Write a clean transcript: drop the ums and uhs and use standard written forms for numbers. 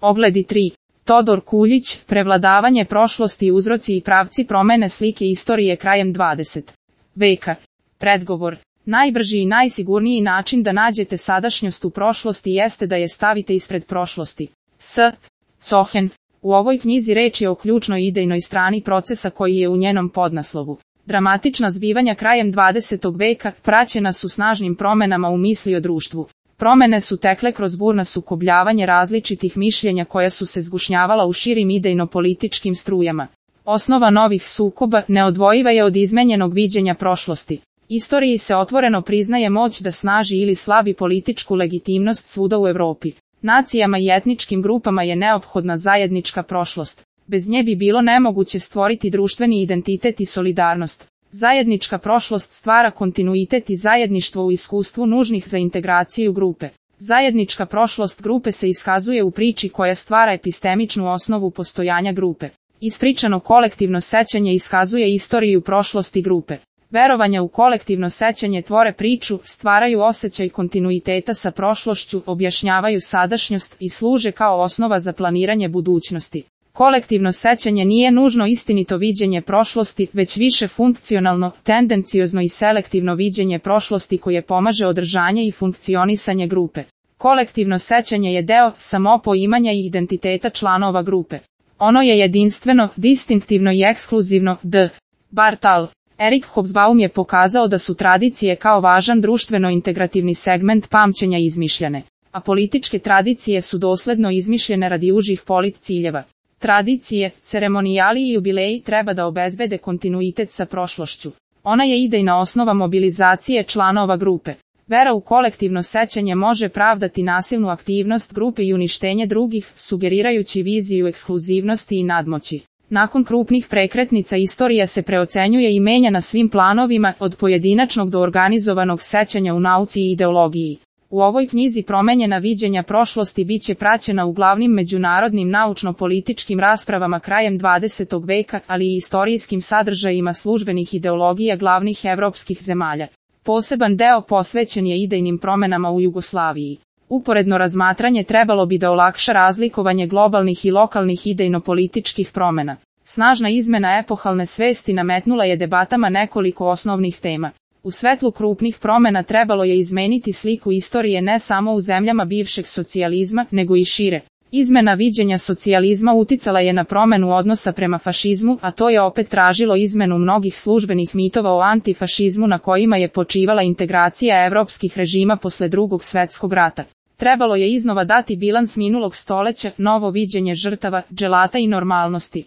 Ogledi 3. Todor Kuljić, prevladavanje prošlosti, uzroci i pravci promene slike istorije krajem 20. veka. Predgovor. Najbrži i najsigurniji način da nađete sadašnjost u prošlosti jeste da je stavite ispred prošlosti. S. Cohen. U ovoj knjizi reč je o ključnoj idejnoj strani procesa koji je u njenom podnaslovu. Dramatična zbivanja krajem 20. veka praćena su snažnim promenama u misli o društvu. Promene su tekle kroz burno sukobljavanje različitih mišljenja koja su se zgušnjavala u širim idejno-političkim strujama. Osnova novih sukoba neodvojiva je od izmenjenog viđenja prošlosti. Istoriji se otvoreno priznaje moć da snaži ili slabi političku legitimnost svuda u Europi. Nacijama i etničkim grupama je neophodna zajednička prošlost. Bez nje bi bilo nemoguće stvoriti društveni identitet i solidarnost. Zajednička prošlost stvara kontinuitet i zajedništvo u iskustvu nužnih za integraciju grupe. Zajednička prošlost grupe se iskazuje u priči koja stvara epistemičnu osnovu postojanja grupe. Ispričano kolektivno sećanje iskazuje istoriju prošlosti grupe. Verovanja u kolektivno sećanje tvore priču, stvaraju osjećaj kontinuiteta sa prošlošću, objašnjavaju sadašnjost i služe kao osnova za planiranje budućnosti. Kolektivno sećanje nije nužno istinito viđenje prošlosti, već više funkcionalno, tendenciozno i selektivno viđenje prošlosti koje pomaže održanje i funkcionisanje grupe. Kolektivno sećanje je deo samopoimanja i identiteta članova grupe. Ono je jedinstveno, distinktivno i ekskluzivno. D. Bartal. Erik Hobsbawm je pokazao da su tradicije kao važan društveno-integrativni segment pamćenja izmišljene, a političke tradicije su dosledno izmišljene radi užih polit ciljeva. Tradicije, ceremonijali i jubileji treba da obezbede kontinuitet sa prošlošću. Ona je idejna osnova mobilizacije članova grupe. Vera u kolektivno sećanje može pravdati nasilnu aktivnost grupe i uništenje drugih, sugerirajući viziju ekskluzivnosti i nadmoći. Nakon krupnih prekretnica istorija se preocenjuje i menja na svim planovima, od pojedinačnog do organizovanog sećanja u nauci i ideologiji. U ovoj knjizi promenjena viđenja prošlosti bit će praćena u glavnim međunarodnim naučno-političkim raspravama krajem 20. veka, ali i istorijskim sadržajima službenih ideologija glavnih evropskih zemalja. Poseban deo posvećen je idejnim promenama u Jugoslaviji. Uporedno razmatranje trebalo bi da olakša razlikovanje globalnih i lokalnih idejno-političkih promena. Snažna izmena epohalne svesti nametnula je debatama nekoliko osnovnih tema. U svetlu krupnih promena trebalo je izmeniti sliku istorije ne samo u zemljama bivšeg socijalizma, nego i šire. Izmena viđenja socijalizma uticala je na promenu odnosa prema fašizmu, a to je opet tražilo izmenu mnogih službenih mitova o antifašizmu na kojima je počivala integracija evropskih režima posle Drugog svjetskog rata. Trebalo je iznova dati bilans minulog stoleća, novo viđenje žrtava, dželata i normalnosti.